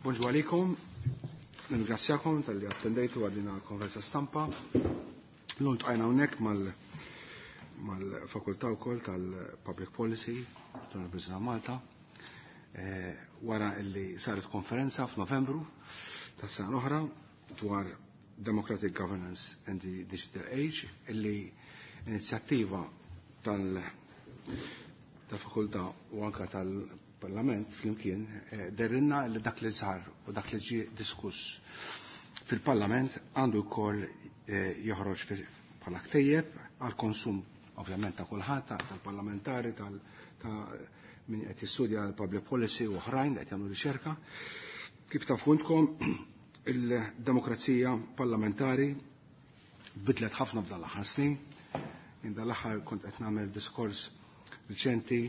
Bonġu għalikom, nirringrazzjakom talli attendejtu għal din konferenza stampa. Illum ltqajna hawnhekk mal-fakultà wkoll tal-Public Policy tal-Università Malta. Wara illi saret konferenza f'Novembru tas-sena l-oħra dwar Democratic Governance and the Digital Age, illi inizjattiva tal-fakultà u anka tal-Parlament flimkien dehrilna li dak li sar u dak li ġie diskuss fil-Parlament għandu wkoll joħroġ bħala ktejjeb għal konsum ovvjament ta' kulħadd, tal-parlamentari, ta' min qed jistudja l-public policy u oħrajn li qed jagħmlu riċerka. Kif tafu intkom, il-demokrazija parlamentari bidlet ħafna f'dan l-aħħar snin. Jien dan l-aħħar kont qed nagħmel diskors riċenti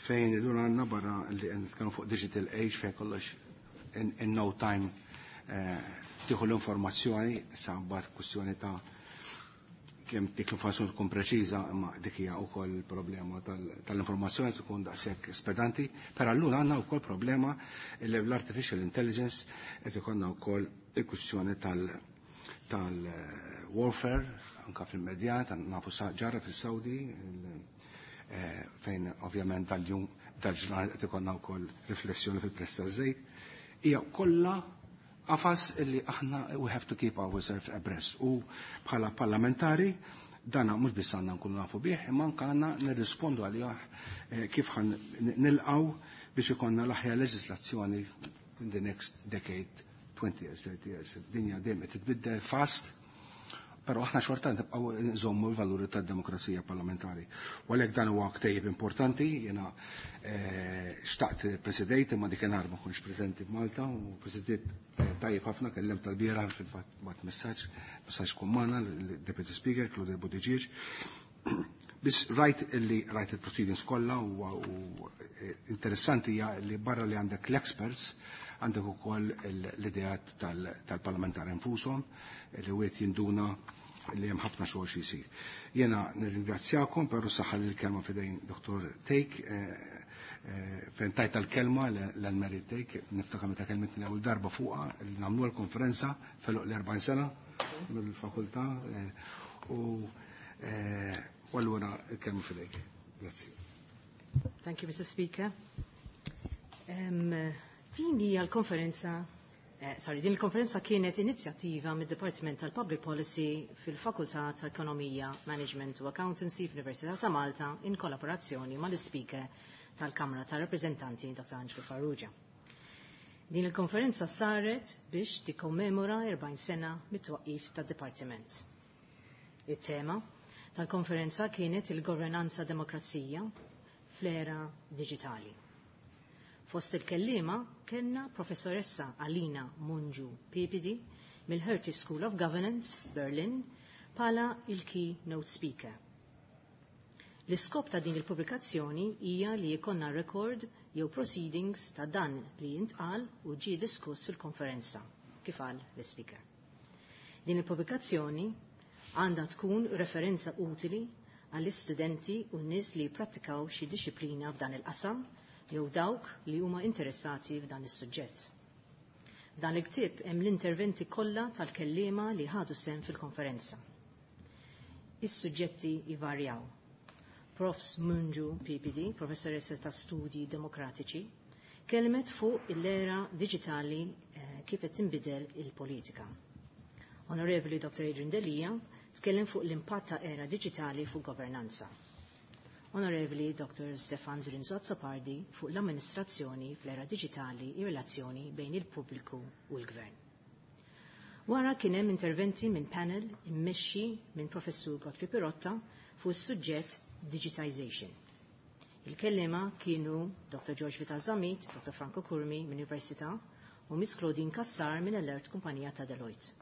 fejn illum għandna barra li qed nitkellmu fuq digital age fejn kollox in no time tieħu l-informazzjoni, sa mbagħad kwistjoni ta' kemm dik l-informazzjoni tkun preċiża, imma dik hija wkoll il-problema tal-informazzjoni tkun daqshekk spedanti, però allura għandna wkoll problema li l-artificial intelligence qed ikollna wkoll il-kwistjoni tal-warfare anka fil-medjat, nafu ġara fis-Saudi, fejn ovvjament dal-jum dal-ġurnal qed ikollna wkoll riflessjoni fil-prezz taż-żejt. Hija kollha qafas illi aħna we have to keep ourselves abreast. U bħala parlamentari dana mhux biss għandna nkunu nafu bih, imma anke għandna nirrispondu għalih kif ħan nilqgħu biex ikollna l-aħjar leġislazzjoni in the next decade, 20 years, 30 years. Dinja dejjem qed titbiddel fast, però aħna xorta nibqgħu nżommu l-valuri tad-demokrazija parlamentari. U għalhekk dan huwa ktejjeb importanti, jiena xtaqt presidejt imma dik inhar ma kontx preżenti f'Malta u presidejt tajjeb ħafna, kellem tal-bieraħ fil-fatt bat messaġġ, messaġġ kun magħna l-Deputy Speaker Claudia Buttigieg. Biss rajt illi rajt il-proceedings kollha u interessanti hija li barra li għandek l-experts għandek ukoll l-ideat tal-parlamentari infushom li wieħed jinduna li hemm ħafna xogħol xi jsir. Jiena nirringrazzjakom, però saħħa li l-kelma f'idejn Dr. Thake, fejn tajt tal-kelma l-Mary Thake, niftakar meta kelmitni l-ewwel darba fuqha li nagħmlu l-konferenza feluq l-40 sena mill-fakultà, u allura l-kelma f'idejk. Grazzi. Thank you, Mr. Speaker. Din hija l-konferenza, sorry, din il-konferenza kienet inizjattiva mid-Dipartiment tal-Public Policy fil-Fakultà ta' Ekonomija, Management u Accountancy fl-Università ta' Malta in kollaborazzjoni mal-Speaker tal-Kamra ta' Rappresentanti Dr. Angelo Farrugia. Din il-konferenza saret biex tikkommemora 40 sena mit-twaqqif tad-Dipartiment. Il-tema tal-konferenza kienet il-governanza demokrazija fl-era digitali. Fost il-kellima kellna professoressa Alina Mungiu Pipidi mill-Hertie School of Governance, Berlin, pala il-keynote speaker. L-iskop ta' din il-pubblikazzjoni hija li jkollna record jew proceedings ta' dan li jintqal u ġie diskuss fil-konferenza, kif qal l-speaker. Din il-pubblikazzjoni għandha tkun referenza utili għall-istudenti u n-nies li jipprattikaw xi disciplina f'dan il-qasam jew dawk li huma interessati f'dan is-suġġett. F'dan il-ktieb hemm l-interventi kollha tal-kelliema li ħadu sehem fil-konferenza. Is-suġġetti jvarjaw. Profs Mungiu PPD, professoressa ta' studi demokratiċi, kelmet fuq l-era digitali kif qed tinbidel il-politika. Onorevoli Dr. Adrian Delia tkellem fuq l-impatt ta' era digitali fuq governanza. Onorevoli Dr. Stefan Zrinzo Azzopardi fuq l-amministrazzjoni fl-era digitali i relazzjoni bejn il-pubbliku u l-gvern. Wara kien hemm interventi minn panel immexxi minn Professur Godfrey Pirotta fuq is-suġġett Digitization. Il-kellima kienu Dr. George Vital Zammit, Dr. Franco Curmi minn Università u Miss Claudine Cassar minn Alert Kumpanija ta' Deloitte.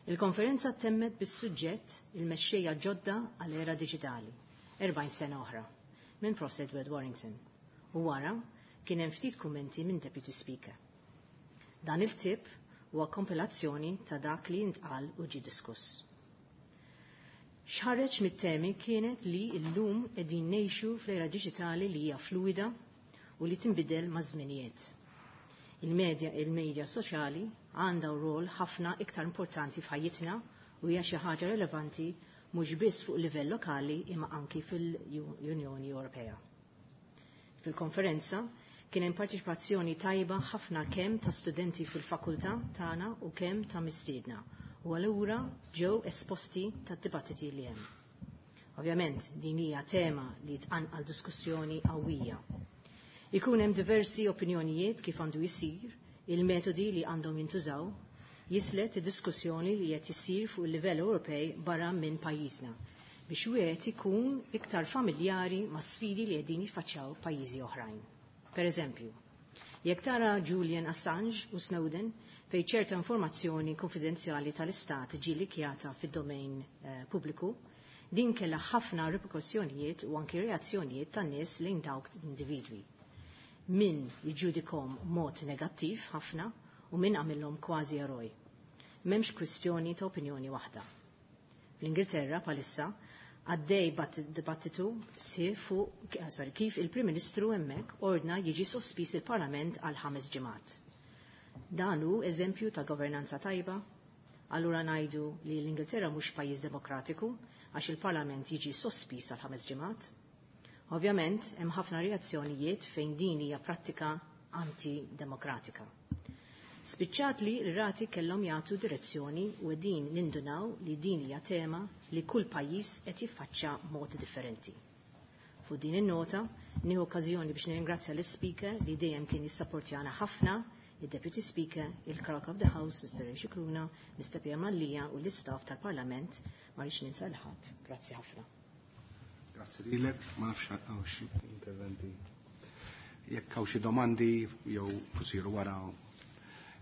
Il-konferenza temmet bis-suġġett il-mexxejja ġodda għall-era digitali, 40 sena oħra, minn Prof. Edward Warrington. U wara kien hemm ftit kummenti minn Deputy Speaker. Dan il-tip huwa kompilazzjoni ta' dak li intqal u ġie diskuss. X'ħareġ mit-temi kienet li llum qegħdin ngħixu fl-era diġitali li hija fluida u li tinbidel maż-żminijiet. Il-medja soċjali għandha rol ħafna iktar importanti f'ħajjitna u hija xi ħaġa relevanti mhux biss fuq livell lokali imma anki fil-Unjoni Ewropea. Fil-konferenza kien hemm parteċipazzjoni tajba ħafna kemm ta' studenti fil-fakultà tagħna u kemm ta' mistiedna u allura ġew esposti tad-dibattiti li hemm. Ovvjament din hija tema li tqanqal diskussjoni qawwija. Ikun hemm diversi opinjonijiet kif għandu jsir, il-metodi li għandhom jintużaw, jislet id-diskussjoni li qed isir fuq il-livell Ewropej barra minn pajjiżna biex wieħed ikun iktar familjari ma' sfidi li qegħdin jiffaċċjaw pajjiżi oħrajn. Per eżempju, jekk tara Julian Assange u Snowden fejn ċerta informazzjoni konfidenzjali tal-Istat ġie likjata fid-domain pubbliku, din kellha ħafna reperkussjonijiet u anki reazzjonijiet tan-nies lejn dawk individwi. Min jiġġudikhom mod negattiv ħafna u min għamilhom kważi eroj. M'hemmx kwistjoni ta' opinjoni waħda. Fl-Ingilterra palissa għaddej dibattitu si fuq kif il-Prim Ministru hemmhekk ordna jiġi sospiż il-Parlament għal 5 ġimgħat. Dan hu eżempju ta' governanza tajba. Allura ngħidu li l-Ingilterra mhux pajjiż demokratiku għax il-Parlament jiġi sospiż għal 5 ġimgħat. Ovvjament hemm ħafna reazzjonijiet fejn din hija prattika antidemokratika. Spiċċat li l-rati kellhom jagħtu direzzjoni u din nindunaw li din hija tema li kull pajjiż qed jiffaċċja mod differenti. Fuq din in-nota nieħu okkażjoni biex nirringrazzja l-Speaker li dejjem kien jissapportjana ħafna, il-Deputy Speaker, il-Clerk of the House, Mr. Ray Scicluna, Mr. Pierre Mallia u l-istaff tal-Parlament, ma rridx ninsa l ħadd. Grazzi ħafna. Grazzi lilek, ma nafx hawn xi interventi. Jekk hawn xi domandi jew isiru wara,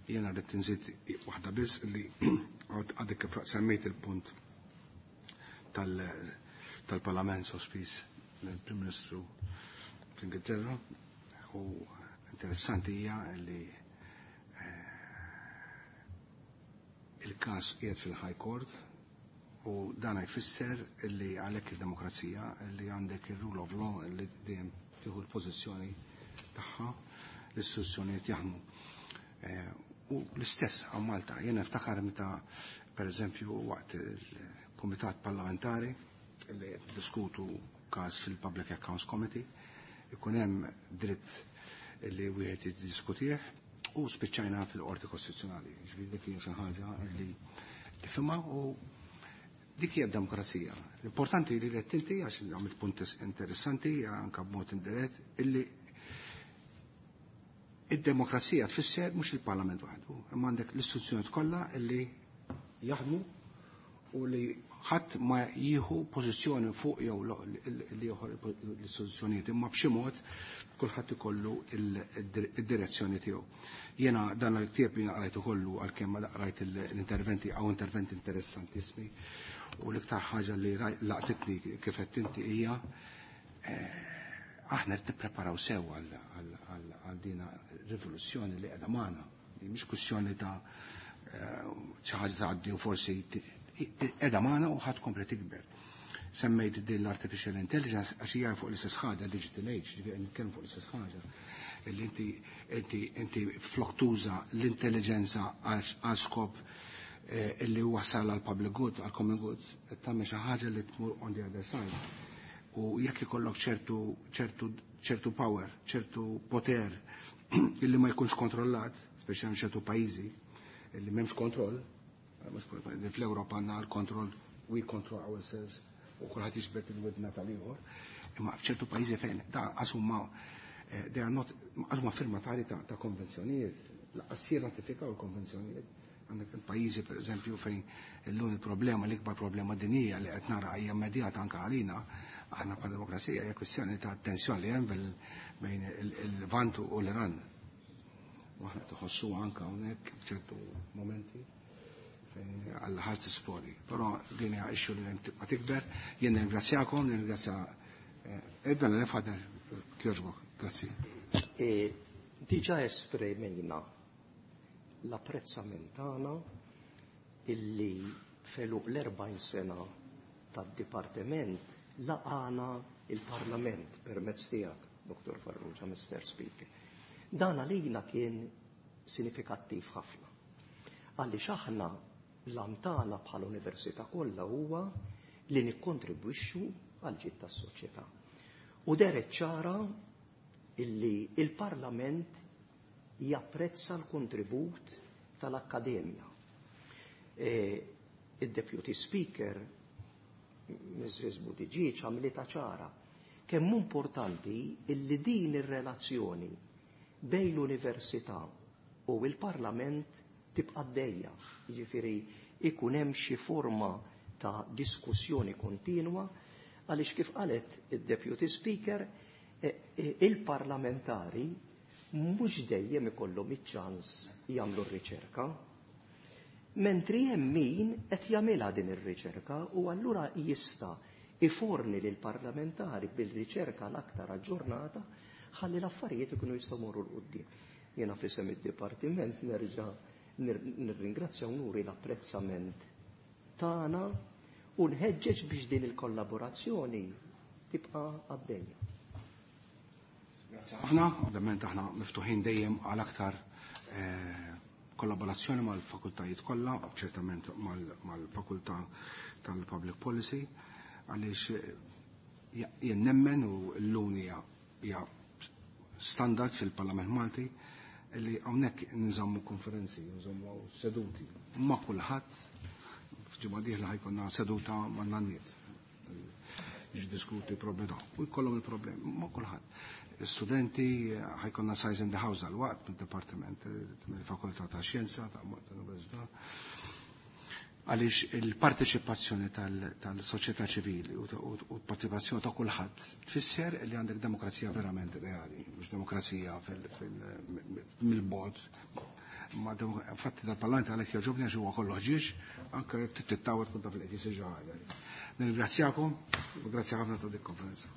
jiena rrid inżid waħda biss li għadek kif semmejt il-punt tal-Parlament sospiż mill-Prim Ministru fl-Ingilterra, u interessanti hija li il-każ qiegħed fil-High Court u dan jfisser li għalhekk id-demokrazija li għandek il-rule of law li dejjem tieħu l-pożizzjoni tagħha, l-istituzzjonijiet jaħdmu. U l-istess għal Malta, jiena niftakar meta per eżempju waqt il-Kumitat Parlamentari li diskutu każ fil-Public Accounts Committee, ikun hemm dritt li wieħed jiddiskutih u spiċċajna fil-Qorti Kostituzzjonali. Ġifieri dik hija xi ħaġa li tifhimha u dik hija demokrazija. L-importanti li qed inti, għax għamilt punt interessanti anke b'mod indirett, illi id-demokrazija tfisser mhux il-Parlament waħdu, imma għandek l-istituzzjonijiet kollha illi jaħdmu u li ħadd ma jieħu pożizzjoni fuq jew li joħor l-istituzzjonijiet, imma b'xi mod kulħadd ikollu id-direzzjoni tiegħu. Jiena dan il-ktieb jiena qrajtu kollu għalkemm ma qrajt l-interventi għaw interventi interessantissimi, u l-iktar ħaġa li laqtitni kif qed inti hija aħna qed nippreparaw sew għal dina rivoluzzjoni li qiegħda magħna. Mhix kwistjoni ta' xi ħaġa tgħaddi u forsi qiegħda magħna u ħadd kompli tikber. Semmejt din l-artificial intelligence għax hija fuq l-istess ħaġa, digital age, ġifieri nitkellmu fuq l-istess ħaġa. Illi inti flok tuża l-intelligenza għal skop illi wasal għal public good, għal common good, qed tagħmel xi ħaġa li tmur on the other side. U jekk ikollok ċertu power, ċertu poter illi ma jkunx kontrollat, speċjalment ċertu pajjiżi illi m'hemmx kontroll, fl-Ewropa għandna l-kontroll, we control ourselves, u kulħadd jiġbed il-widna tal-ieħor, imma f'ċertu pajjiżi fejn da qasumma, they are not, qasumma firmatari ta' konvenzjonijiet, laqqas jirratifikaw il-konvenzjonijiet. Għandek il-pajjiżi per eżempju fejn illum il-problema, l-ikbar problema dinjija li qed nara hija immedjata anke għalina, aħna bħala demokrazija, hija kwistjoni ta' tensjoni li hemm bejn il-Lvant u l-Iran. U aħna tħossu anke hawnhekk f'ċertu momenti fejn għal ħadd tisplodi. Però din hija issue li dejjem tibqa' tikber. Jien nirringrazzjakom, nirringrazzja Edwin Lefader, kjoġbok, grazzi. Diġà esprimejna l-apprezzament tagħna illi feluq l-40 sena tad-dipartiment laqana il-Parlament permezz tiegħek, Dr. Farrugia, Mr. Speaker. Dan għalina kien sinifikattiv ħafna. Għaliex aħna l-għan tagħna bħala università kollha huwa li nikkontribwixxu għal ġid tas-soċjetà. U dehret ċara illi il-Parlament japprezza l-kontribut tal-Akkademja. Il-Deputy Speaker, Mrs. Buttigieg, għamlitha ċara kemm importanti illi din ir-relazzjoni bejn l-Università u il-Parlament tibqa' għaddejja. Jiġifieri ikun hemm xi forma ta' diskussjoni kontinwa għaliex kif qalet id-Deputy Speaker, il-parlamentari mhux dejjem ikollhom iċ-ċans jagħmlu r-riċerka. Mentri hemm min qed jagħmilha din ir-riċerka u allura jista' iforni lil parlamentari bil-riċerka l-aktar aġġornata ħalli l-affarijiet ikunu jistgħu morru 'l quddiem. Jiena f'isem id-dipartiment nerġa' nirringrazzja u nuri l-apprezzament tagħna u nħeġġeġ biex din il-kollaborazzjoni tibqa' għaddejja. Grazzi ħafna, ovvjament aħna miftuħin dejjem għal aktar kollaborazzjoni mal-fakultajiet kollha, ċertament mal-fakultà tal-Public Policy, għaliex jien nemmen u llum hija standard fil-Parlament Malti li hawnhekk nżommu konferenzi, nżommu seduti ma' kulħadd. F'ġimgħa dieħla ħa jkollna seduta ma' nanniet biex diskuti problemi u jkollhom il-problemi ma' kulħadd. Studenti, ħa jkollna Size in the House għal-waqt mill-Dipartiment mill-Fakultà ta' Xjenza ta' Università, għaliex il-parteċipazzjoni tal-soċjetà ċivili u l-parteċipazzjoni ta' kulħadd tfisser li għandek demokrazija verament reali, mhux demokrazija mill-bogħod. Ma fatti dal-parlament għalhekk jogħġobni, għax huwa kollu ħġieġ, anke jekk tittawet tkun taf li qed jsir xi ħaġa. Nirringrazzjakom u grazzi ħafna ta' dik konferenza.